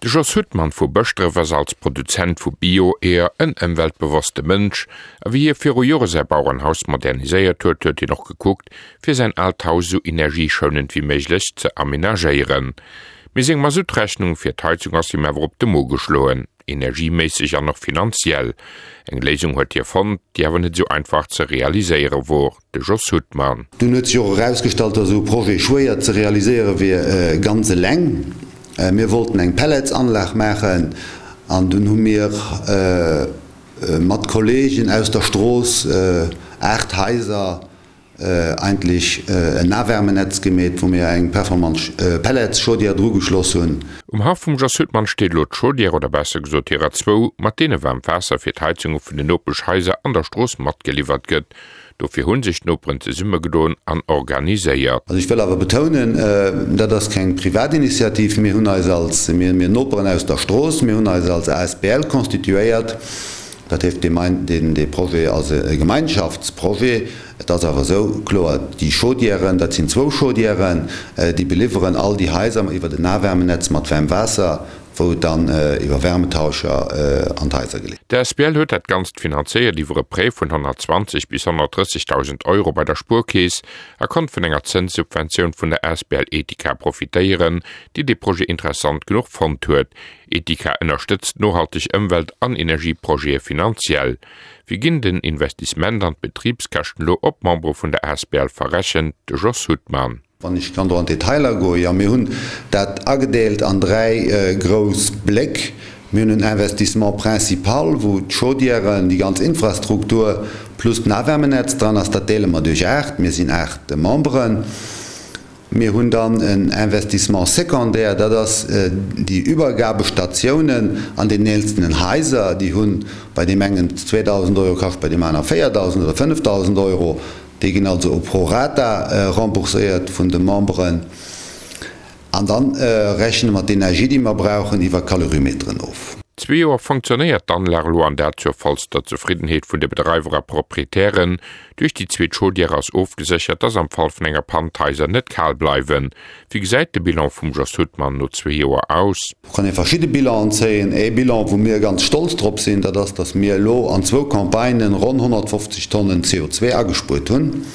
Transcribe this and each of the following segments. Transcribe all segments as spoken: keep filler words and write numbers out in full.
De Jos Huttmann vu Bëschdref ass als Produzent vu Bio-Eeër en ëmweltbewosste Mënsch a wéi hie viru Jore säi Bauerenhaus moderniséiert huet, huet hien och gekuckt, fir säin aalt Haus esou energieschounend wéi méiglech ze amenagéieren. Mee seng Masuttrechnung fir d'Heizung ass him awer op de Mo geschloen, energieméisseg an och finanziell. Eng Léisung huet hie fonnt, déi awer net esou einfach ze realiséiere wor, de Jos Huttmann. Dunn huet sech och erausgestallt, dass esou e Projet schwéier ze realiséiere wier ganz eleng. Mir wollten eng Pelletsanlag maachen an dunn hu mir mat Kollegen aus der Strooss, aacht Haiser, eigentlech en Nahwärmenetz gemeet, wou mir eng performant Pelletschaudière drugeschloss hunn. Um Haff vum Jos Huttmann steet elo d'Chaudière, oder besser gesot hirer zwou, mat deene waarmt Waasser fir d'Heizunge vun den Nopeschhaiser an der Strooss matgeliwwert gëtt. Dofir hu sech d'Noperen zesummegedoen an organiséiert. Also ech wëll awer betounen, dat ass keng Privatinitiativ. Mir hunn eis als, mir, mir Noperen aus der Strooss, mir hunn eis als asbl constituéiert. Dat heescht, dee, dee Projet ass e Gemeinschaftsprojet. Et ass awer esou, kloer, déi Chaudièren, dat sinn zwou Chaudièren, déi beliwweren all déi Haiser iwwert en Nahwärmenetz mat waarm Waasser, wou et dann iwwer Wärmetauscher an d'Haiser geleet. D'asbl huet dat Ganzt finanzéiert iwwer e Prêt vun honnertzwanzeg bis honnertdrëssegdausend Euro bei der Spuerkeess a konnt vun enger Zënssubventioun vun der asbl Etika profitéieren, déi dee Projet interessant genuch fonnt huet. Etika ënnerstëtzt nohalteg Ëmwelt an Energieprojete finanziell. Wéi ginn den Investissement an d'Betribskäschten elo op d'Membere vun der asbl verrechent? De Jos Huttmann. Wann ech kann do an d'Detailer goen, jo, mir hunn dat agedeelt an dräi grouss Bléck. Mir hunn en Investissement principal, wou d'Chaudièren, déi ganz Infrastruktur plus d'Nahwärmenetz dran ass. Dat deele mer duerch aacht, mir sinn aacht Memberen. Mir hunn dann en Investissement secondaire, dat ass déi Übergabestatiounen an den eenzelnen Haiser. Déi hunn bei deem engen zweedausend Euro kascht, bei deem aner véierdausend oder fënnefdausend Euro. Déi ginn also pro rata rembourséiert vun de Memberen. An da rechne mer d'Energie, déi mer brauchen, iwwer Kalorimeteren of. Zwee Joer fonctionnéiert d'Anlag elo an dat zur vollster Zefriddenheet vun de Bedreiwer a Proprietären. Duerch déi zweet Chaudière ass ofgeséchert, dass am Fall vun enger Pann d'Haiser net kal bleiwen. Wéi gesäit de Bilan vum Jos Huttmann no zwee Joer aus? Do kann ee verschidde Bilanen zéien. Ee Bilan, wou mir ganz stolz drop sinn, dat ass, dass mir elo an zwou Campagnen ronn honnertfofzeg Tonnen C O zwee agespuert hunn.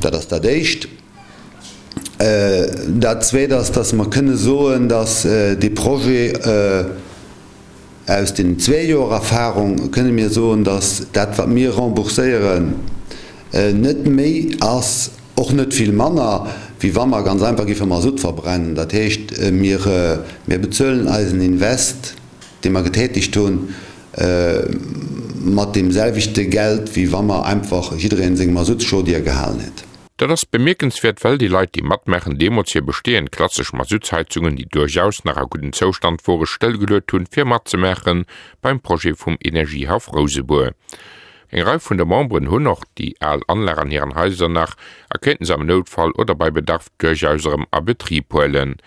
Dat ass dat Éischt. Dat Zweet ass, dass mer kënne soen, dass dee Projet, aus den zwee Joer Erfahrung kënne mir soen, dass dat, wat mir rembourséieren, net méi ass, och net vill manner, wéi wa mer ganz einfach géife Masutt verbrennen. Dat heescht, mir, mir bezuelen eisen Invest, dee mer getätigt hunn, mat deem selwechte Geld, wéi wa mer einfach jiddereen seng Masuttschaudière gehalen hätt. Dat ass bemierkenswäert, well déi Leit, déi matmaachen, deemools hir bestehend klassesch Masuttsheizungen, déi duerchaus nach a guddem Zoustand wore, stëllgeluet hunn, fir matzemaache beim Projet vum Energiehaff Rousebour. Eng Rei vun de Memberen hunn och déi al Anlag an hiren Haiser nach a kéinten se am Noutfall oder bei Bedarf duerchaus erëm a Betrib huelen.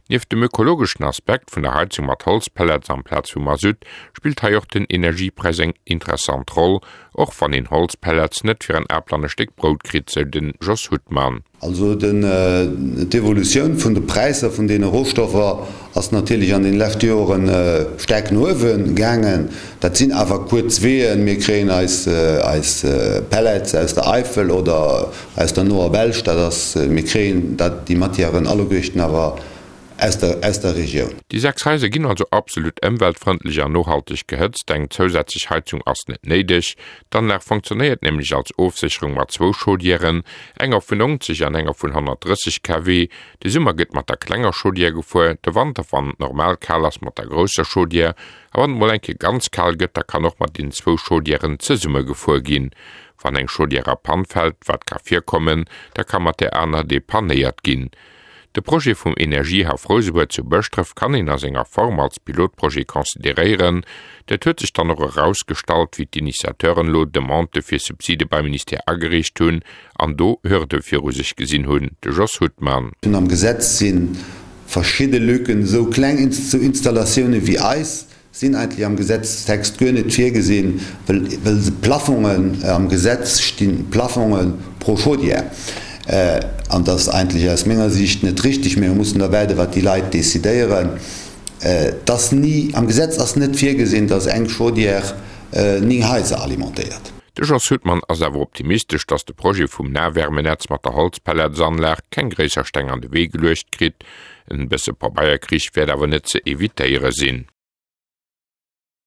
Nieft dem ökologeschen Aspekt vun der Heizung mat Holzpellets amplaz vu Masutt spillt hei och den Energiepräis eng interessant Roll, och wann een Holzpellets net fir en Apel an e Stéck Brout kritt, sou de Jos Huttmann. Also den, d'Evolutioun vun de Präisser vun deene Rohstoffer ass natierlech an den leschte Joren staark no uewe gaangen. Dat sinn awer kuerz Weeën. Mir kréien eis, eis Pellets aus der Eifel oder aus der noer Belsch. Dat ass, mir kréien dat, déi Matièren alleguerten awer aus der, aus der Regioun. Déi sechs Haiser ginn also absolut ëmweltfrëndlech an nohalteg gehëtzt. Eng zousätzlech Heizung ass net néideg. D'Anlag funktionéiert nämlech als Ofsécherung mat zwou Chaudièren, enger vun neunzeg an enger vun honnertdrësseg Kilowatt. De Summer gëtt mat der klenger Chaudière gefuer, de Wanter, wann et normal kal ass, mat der grousser Chaudière. A wann et mol eng Kéier ganz kal gëtt, da kann och mat den zwou Chaudièren zesumme gefuer ginn. Wann eng Chaudière a Pann fält, wat ka virkommen, da ka mat där aner depannéiert ginn. De Projet vum Energiehaff Rousebour zu Bëschdref kann een a senger Form als Pilotprojet consideréieren. Dat huet sech dann och erausgestallt, wéi d'Initiateuren elo Demandë fir Subside beim Ministère agereecht hunn an do Hürde viru sech gesinn hunn. De Jos Huttmann. Am Gesetz si verschidde Lücken, esou kleng Installatioune wéi eis sinn eigentlech am Gesetzestext guer net virgesinn, well, well se Plafongen am Gesetz stinn, Plafonge pro Chaudière. An dat ass eigentlech aus menger Sicht net richtig. Mir mussen da waarden, wat déi Leit decidéieren. Et ass ni, am Gesetz ass net virgesinn, dass eng Chaudière néng Haiser alimentéiert. De Jos Huttmann ass awer optimistesch, dass de Projet vum Nahwärmenetz mat der Holzpelletsanlag keng gréisser Steng an de Wee geluecht kritt. En bësse Pabeierkrich wäert awer net ze evitéiere sinn.